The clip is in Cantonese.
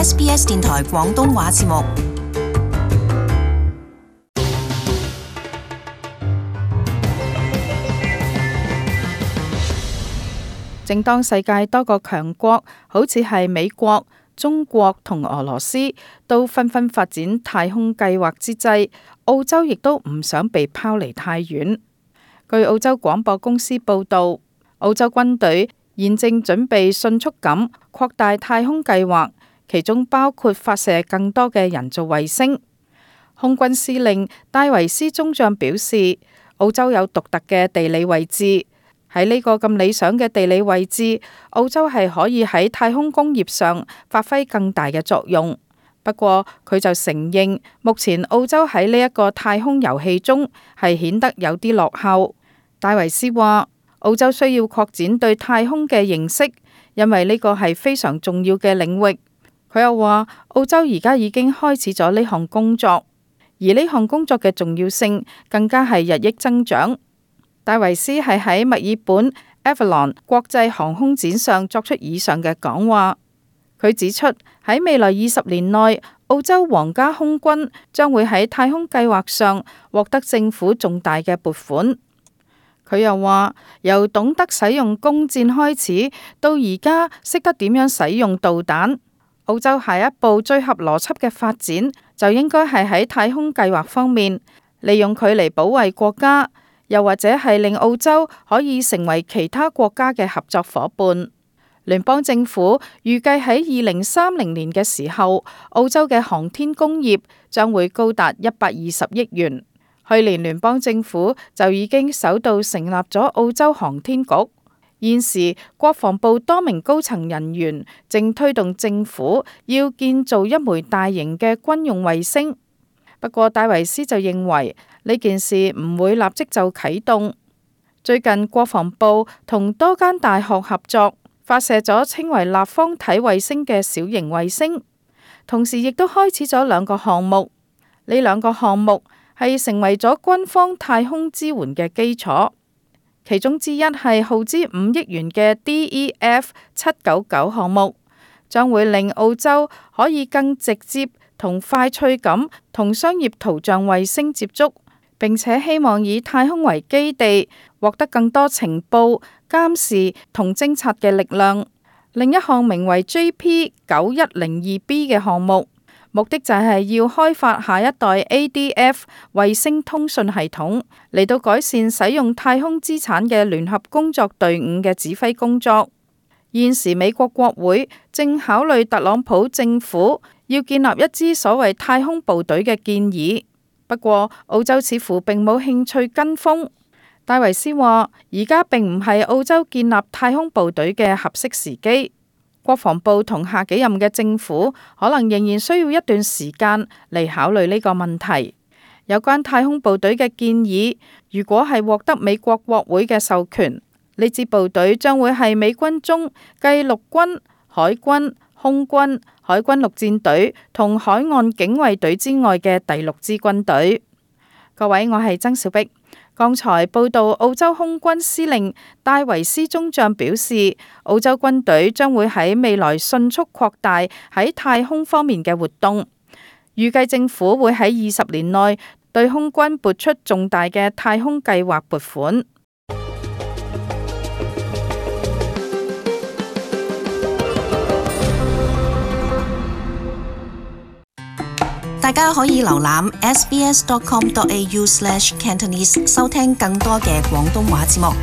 SBS 電台廣東話節目。正當世界多個強國，好似係美國、中國同俄羅斯，都紛紛發展太空計劃之際，澳洲亦都唔想被拋離太遠。據澳洲廣播公司報導，澳洲軍隊現正準備迅速咁擴大太空計劃，其中包括發射更多嘅人造衛星。空軍司令戴維斯中將表示，澳洲有獨特嘅地理位置。喺呢個咁理想嘅地理位置，澳洲係可以喺太空工業上發揮更大嘅作用。不過佢就承認，目前澳洲喺呢一個太空遊戲中係顯得有啲落後。戴維斯話，澳洲需要擴展對太空嘅認識，因為呢個係非常重要嘅領域。佢又話，澳洲而家已經開始咗呢項工作，而呢項工作嘅重要性更加係日益增長。戴維斯係喺墨爾本 Avalon 國際航空展上作出以上嘅講話。佢指出，喺未來20年內，澳洲皇家空軍將會喺太空計劃上獲得政府重大嘅撥款。佢又話，由懂得使用弓箭開始，到而家識得點樣使用導彈，澳洲下一步最合邏輯嘅發展就應該係喺太空計劃方面，利用佢嚟保衛國家。又或者係令澳洲可以成為其他國家嘅合作夥伴。聯邦政府預計喺2030年嘅時候，澳洲嘅航天工業將會高達120億元。去年聯邦政府就已經首度成立咗澳洲航天局。現時國防部多名高層人員正推動政府要建造一枚大型嘅軍用衛星。不過戴維斯就認為呢件事唔會立即就啟動。最近國防部同多間大學合作，發射咗稱為立方體衛星嘅小型衛星，同時亦都開始咗2個項目。呢2個項目係成為咗軍方太空支援嘅基礎，其中之一係耗資5億元嘅 DEF-799項目，將會令澳洲可以更直接同快脆咁同商業圖像衛星接觸，並且希望以太空為基地，獲得更多情報、監視同偵察嘅力量。另一項名為 JP9102B 嘅項目，目的就係要開發下一代 ADF 衛星通訊系統，嚟到改善使用太空資產嘅聯合工作隊伍嘅指揮工作。現時美國國會正考慮特朗普政府要建立一支所謂太空部隊嘅建議，不過澳洲似乎並冇興趣跟風。戴維斯話，而家並唔係澳洲建立太空部隊嘅合適時機。國防部同下幾任嘅政府可能仍然需要一段時間嚟考慮呢個問題。有關太空部隊嘅建議，如果係獲得美國國會嘅授權，呢支部隊將會係美軍中繼陸軍、海軍、空軍、海軍陸戰隊同海岸警衛隊之外嘅第6支軍隊。各位，我係曾小碧。剛才報道澳洲空軍司令戴維斯中將表示，澳洲軍隊將會喺未來迅速擴大喺太空方面嘅活動。預計政府會喺20年內對空軍撥出重大嘅太空計劃撥款。大家可以瀏覽 sbs.com.au/Cantonese 收聽更多嘅廣東話節目。